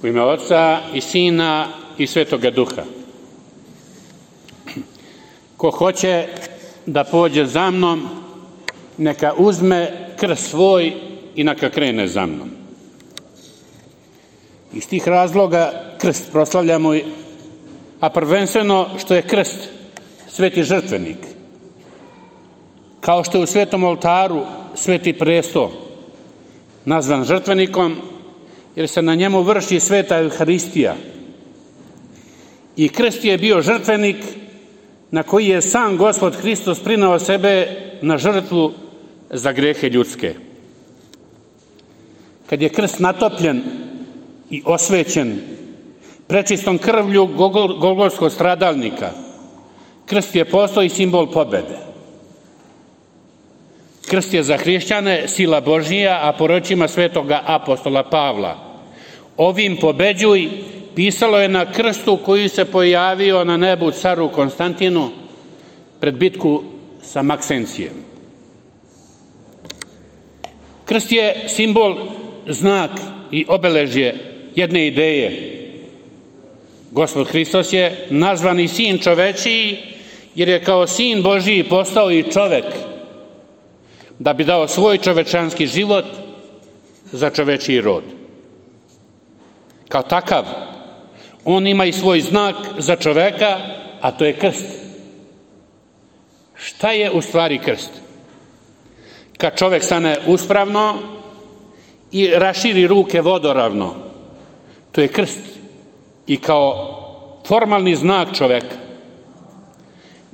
U ime Oca i Sina i Svetoga Duha. Ko hoće da pođe za mnom, neka uzme krst svoj i neka krene za mnom. Iz tih razloga krst proslavljamo, a prvenstveno što je krst sveti žrtvenik. Kao što je u svetom oltaru sveti presto nazvan žrtvenikom, jer se na njemu vrši sveta Euharistija. I krst je bio žrtvenik na koji je sam Gospod Hristos prineo sebe na žrtvu za grehe ljudske. Kad je krst natopljen i osvećen prečistom krvlju golgotskog stradalnika, krst je postao i simbol pobede. Krst je za hrišćane sila Božija, a po rečima svetoga apostola Pavla: ovim pobeđuj, pisalo je na krstu koji se pojavio na nebu caru Konstantinu pred bitku sa Maksencijem. Krst je simbol, znak i obeležje jedne ideje. Gospod Hristos je nazvani sin čovečiji, jer je kao sin Božiji postao i čovek, da bi dao svoj čovečanski život za čovečiji rod. Kao takav, on ima i svoj znak za čoveka, a to je krst. Šta je u stvari krst? Kad čovek stane uspravno i raširi ruke vodoravno, to je krst i kao formalni znak čoveka.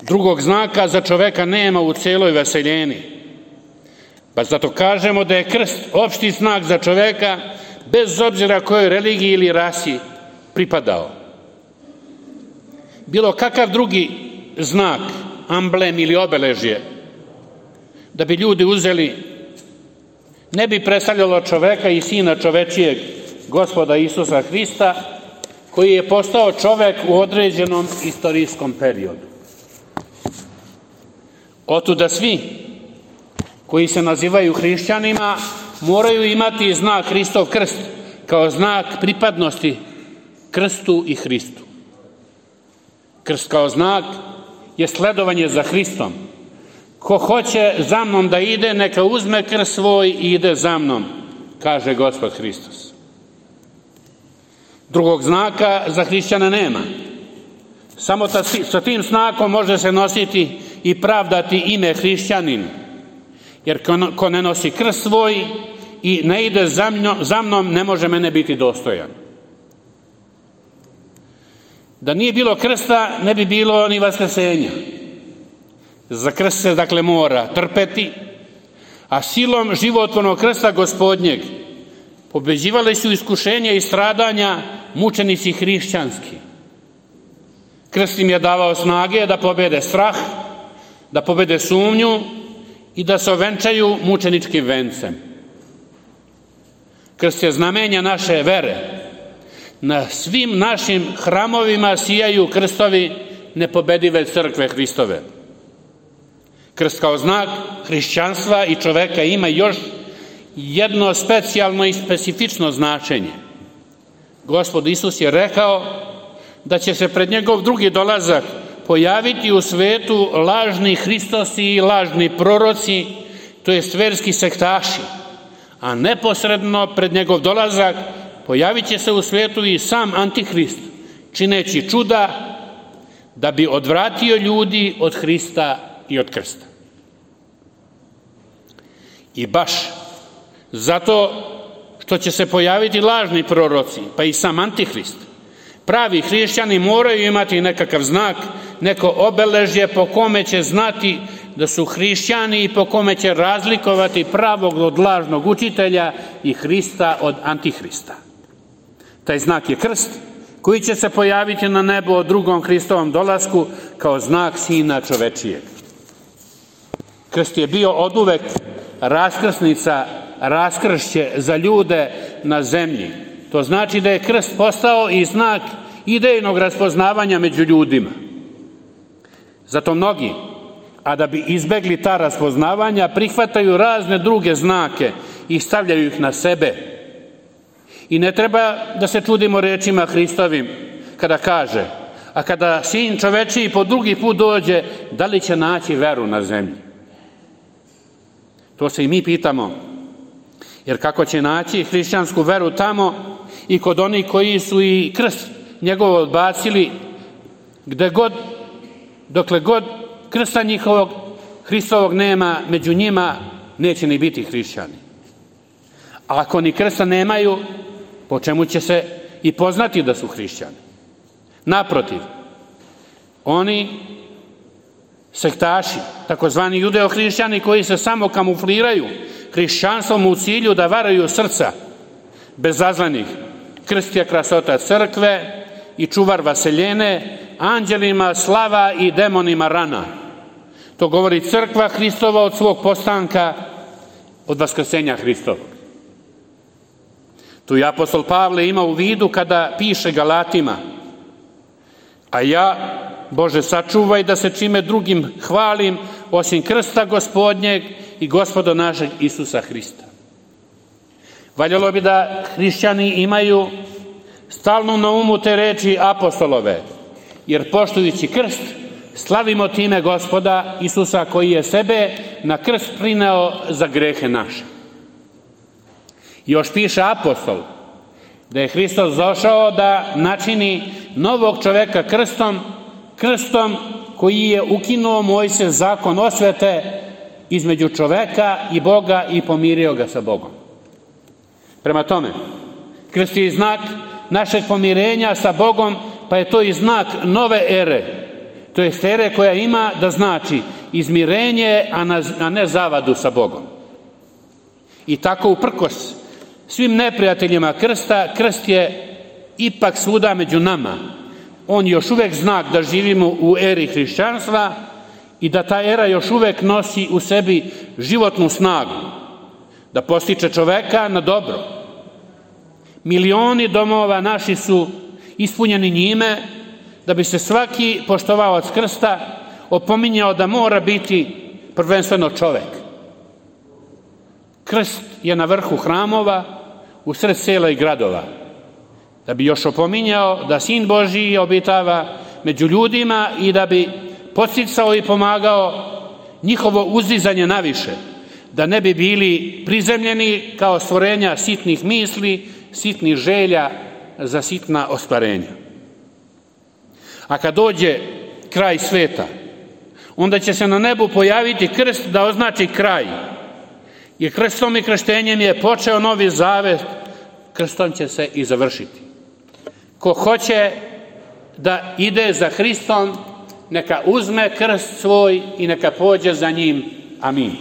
Drugog znaka za čoveka nema u celoj vaseljeni. Pa zato kažemo da je krst opšti znak za čoveka, bez obzira kojoj religiji ili rasi pripadao. Bilo kakav drugi znak, amblem ili obeležje, da bi ljudi uzeli, ne bi predstavljalo čoveka i sina čovečijeg, Gospoda Isusa Hrista, koji je postao čovek u određenom istorijskom periodu. Otuda svi koji se nazivaju hrišćanima moraju imati znak Hristov krst kao znak pripadnosti krstu i Hristu. Krst kao znak je sledovanje za Hristom. Ko hoće za mnom da ide, neka uzme krst svoj i ide za mnom, kaže Gospod Hristos. Drugog znaka za hrišćana nema. Samo sa tim znakom može se nositi i pravdati ime hrišćanin. Jer ko ne nosi krst svoj i ne ide za mnom, ne može mene biti dostojan. Da nije bilo krsta, ne bi bilo ni vaskrsenja. Za krst se dakle mora trpeti, a silom životvornog krsta Gospodnjeg pobeđivali su iskušenja i stradanja mučenici hrišćanski. Krst im je davao snage da pobede strah, da pobede sumnju i da se ovenčaju mučeničkim vencem. Krst je znamenja naše vere. Na svim našim hramovima sijaju krstovi nepobedive crkve Hristove. Krst kao znak hrišćanstva i čoveka ima još jedno specijalno i specifično značenje. Gospod Isus je rekao da će se pred njegov drugi dolazak pojaviti u svetu lažni Hristosi i lažni proroci, to jest verski sektaši, a neposredno pred njegov dolazak pojavit će se u svetu i sam Antihrist, čineći čuda da bi odvratio ljudi od Hrista i od krsta. I baš zato što će se pojaviti lažni proroci, pa i sam Antihrist, pravi hrišćani moraju imati nekakav znak, neko obeležje po kome će znati da su hrišćani i po kome će razlikovati pravog od lažnog učitelja i Hrista od Antihrista. Taj znak je krst koji će se pojaviti na nebu o drugom Hristovom dolasku kao znak Sina čovečijeg. Krst je bio oduvek raskrsnica, raskršće za ljude na zemlji. To znači da je krst postao i znak idejnog raspoznavanja među ljudima. Zato mnogi, a da bi izbegli ta raspoznavanja, prihvataju razne druge znake i stavljaju ih na sebe. I ne treba da se čudimo rečima Hristovim kada kaže: a kada Sin čovečiji po drugi put dođe, da li će naći veru na zemlji? To se i mi pitamo. Jer kako će naći hrišćansku veru tamo i kod onih koji su i krst njegov odbacili, dokle god krsta njihovog Hristovog nema, među njima neće ni biti hrišćani. A ako ni krsta nemaju, po čemu će se i poznati da su hrišćani? Naprotiv, oni sektaši, takozvani judeo-hrišćani koji se samo kamufliraju hrišćanstvom u cilju da varaju srca bezazlenih, krst je krasota crkve i čuvar vaseljene, anđelima slava i demonima rana. To govori crkva Hristova od svog postanka, od vaskrsenja Hristovog. Tu je apostol Pavle ima u vidu kada piše Galatima: a ja, Bože, sačuvaj da se čime drugim hvalim osim krsta Gospodnjeg i Gospoda našeg Isusa Hrista. Valjalo bi da hrišćani imaju stalno na umu te reči apostolove, jer poštujući krst slavimo time Gospoda Isusa koji je sebe na krst prineo za grehe naše. Još piše apostol da je Hristos došao da načini novog čoveka krstom koji je ukinuo Mojsijев zakon osvete između čoveka i Boga i pomirio ga sa Bogom. Prema tome, krst je znak našeg pomirenja sa Bogom, pa je to i znak nove ere, to je ere koja ima da znači izmirenje, a ne zavadu sa Bogom. I tako uprkos svim neprijateljima krsta, krst je ipak svuda među nama. On je još uvek znak da živimo u eri hrišćanstva i da ta era još uvek nosi u sebi životnu snagu, da postiče čoveka na dobro. Milioni domova naši su ispunjeni njime, da bi se svaki poštovalac krsta opominjao da mora biti prvenstveno čovek. Krst je na vrhu hramova, u sred sela i gradova, da bi još opominjao da Sin Božji obitava među ljudima i da bi podsticao i pomagao njihovo uzdizanje naviše, da ne bi bili prizemljeni kao stvorenja sitnih misli, sitnih želja za sitna ostvarenja. A kad dođe kraj sveta, onda će se na nebu pojaviti krst da označi kraj. Jer krstom i krštenjem je počeo novi zavet, krstom će se i završiti. Ko hoće da ide za Hristom, neka uzme krst svoj i neka pođe za njim. Amin.